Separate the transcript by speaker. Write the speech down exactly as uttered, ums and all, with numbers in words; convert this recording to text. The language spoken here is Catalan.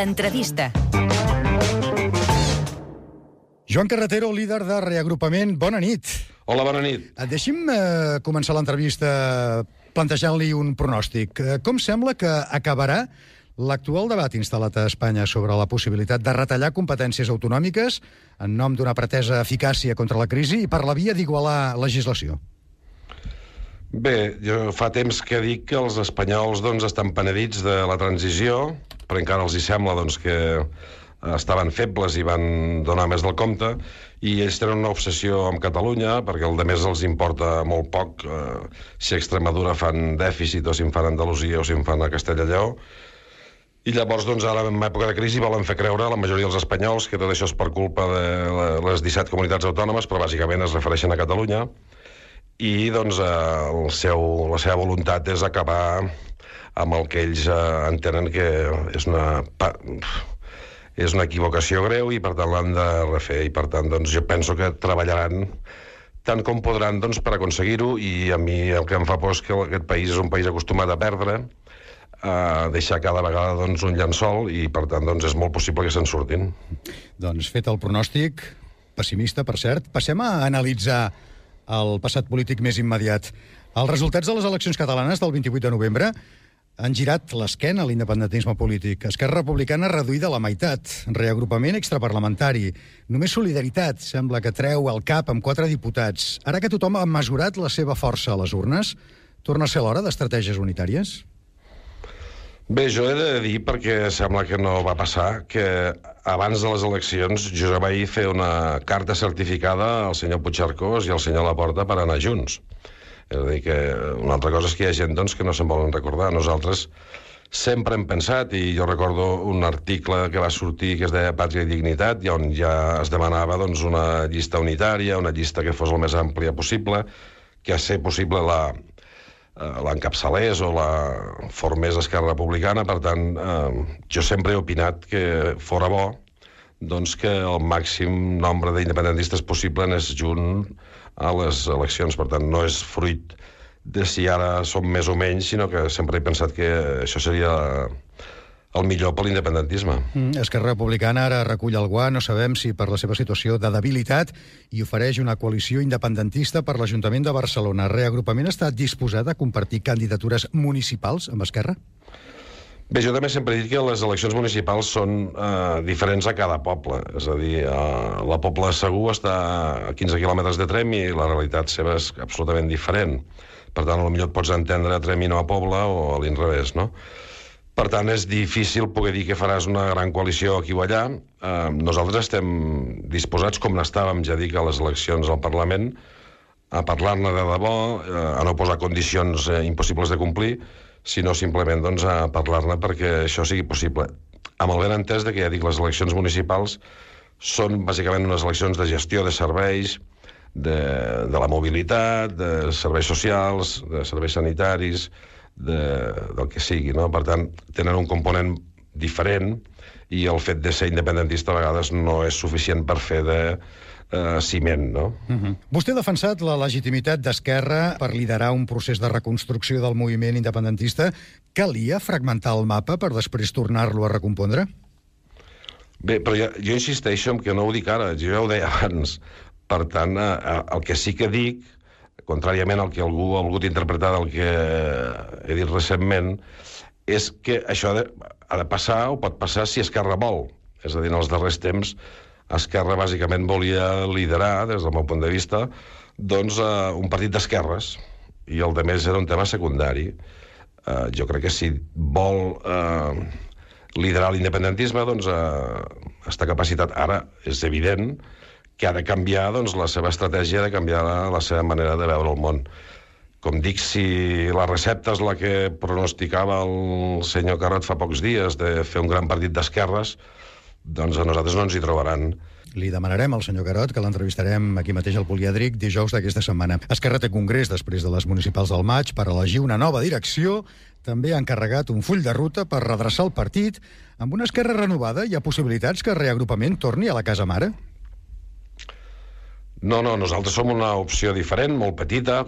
Speaker 1: L'entrevista.
Speaker 2: Joan Carretero, líder de Reagrupament, bona nit.
Speaker 3: Hola, bona nit.
Speaker 2: Deixi'm eh, començar l'entrevista plantejant-li un pronòstic. Eh, com sembla que acabarà l'actual debat instal·lat a Espanya sobre la possibilitat de retallar competències autonòmiques en nom d'una pretesa eficàcia contra la crisi i per la via d'igualar legislació?
Speaker 3: Bé, jo fa temps que dic que els espanyols doncs, estan penedits de la transició, però encara els hi sembla doncs, que estaven febles i van donar més del compte, i ells tenen una obsessió amb Catalunya, perquè el de més els importa molt poc eh, si a Extremadura fan dèficit, o si en fan a Andalusia, o si en fan a Castella i Lleó. I llavors, doncs, ara, en època de crisi, volen fer creure a la majoria dels espanyols que tot això és per culpa de les disset comunitats autònomes, però bàsicament es refereixen a Catalunya, i doncs, el seu, la seva voluntat és acabar amb el que ells eh, entenen que és una... és una equivocació greu i per tant l'han de refer, i per tant doncs, jo penso que treballaran tant com podran doncs, per aconseguir-ho, i a mi el que em fa por és que aquest país és un país acostumat a perdre, a deixar cada vegada doncs, un llençol, i per tant doncs, és molt possible que se'n surtin.
Speaker 2: Doncs fet el pronòstic, pessimista per cert, passem a analitzar el passat polític més immediat. Els resultats de les eleccions catalanes del vint-i-vuit de novembre han girat l'esquena a l'independentisme polític. Esquerra Republicana reduïda a la meitat, reagrupament extraparlamentari, només Solidaritat sembla que treu el cap amb quatre diputats. Ara que tothom ha mesurat la seva força a les urnes, torna a ser l'hora d'estratègies unitàries?
Speaker 3: Bé, jo he de dir, perquè sembla que no va passar, que abans de les eleccions jo ja vaig fer una carta certificada al senyor Puigcercós i al senyor Laporta per anar junts. És a dir, que una altra cosa és que hi ha gent doncs, que no se'n volen recordar. Nosaltres sempre hem pensat, i jo recordo un article que va sortir que es deia Pàtria i Dignitat, i on ja es demanava doncs, una llista unitària, una llista que fos el més àmplia possible, que a ser possible la l'encapçalés o la formés Esquerra Republicana. Per tant, eh, jo sempre he opinat que fora bo doncs, que el màxim nombre d'independentistes possible anés junt a les eleccions. Per tant, no és fruit de si ara som més o menys, sinó que sempre he pensat que això seria el millor per l'independentisme.
Speaker 2: Mm, Esquerra Republicana ara recull el guant, no sabem si per la seva situació de debilitat, i ofereix una coalició independentista per l'Ajuntament de Barcelona. Reagrupament està disposat a compartir candidatures municipals amb Esquerra?
Speaker 3: Bé, jo també sempre he dit que les eleccions municipals són eh, diferents a cada poble. És a dir, eh, la Pobla de Segur està a quinze quilòmetres de Trem i la realitat seva és absolutament diferent. Per tant, potser et pots entendre a Trem i no a Pobla, o a l'inrevés, no? Per tant, és difícil poder dir que faràs una gran coalició aquí o allà. Eh, nosaltres estem disposats, com n'estàvem, ja dic, a les eleccions al Parlament, a parlar-ne de debò, eh, a no posar condicions eh, impossibles de complir, sinó simplement doncs, a parlar-ne perquè això sigui possible. Amb el ben entès de que, ja dic, les eleccions municipals són bàsicament unes eleccions de gestió de serveis, de, de la mobilitat, de serveis socials, de serveis sanitaris, de, del que sigui, no? Per tant, tenen un component diferent, i el fet de ser independentista a vegades no és suficient per fer de Uh, ciment, no?
Speaker 2: Uh-huh. Vostè ha defensat la legitimitat d'Esquerra per liderar un procés de reconstrucció del moviment independentista. Calia fragmentar el mapa per després tornar-lo a recompondre?
Speaker 3: Bé, però jo, jo insisteixo en que no ho dic ara, jo ja ho deia abans. Per tant, uh, el que sí que dic, contràriament al que algú ha volgut interpretar del que he dit recentment, és que això ha de, ha de passar, o pot passar, si Esquerra vol. És a dir, en els darrers temps Esquerra bàsicament volia liderar, des del meu punt de vista, doncs, uh, un partit d'esquerres, i el de més era un tema secundari. Uh, jo crec que si vol uh, liderar l'independentisme, doncs uh, està capacitat. Ara és evident que ha de canviar doncs, la seva estratègia, de canviar la, la seva manera de veure el món. Com dic, si la recepta és la que pronosticava el senyor Carod fa pocs dies, de fer un gran partit d'esquerres, doncs a nosaltres no ens hi trobaran.
Speaker 2: Li demanarem al senyor Carod que l'entrevistarem aquí mateix al Polièdric dijous d'aquesta setmana. Esquerra té congrés després de les municipals del maig per elegir una nova direcció. També ha encarregat un full de ruta per redreçar el partit. Amb una Esquerra renovada hi ha possibilitats que Reagrupament torni a la casa mare?
Speaker 3: No, no, nosaltres som una opció diferent, molt petita,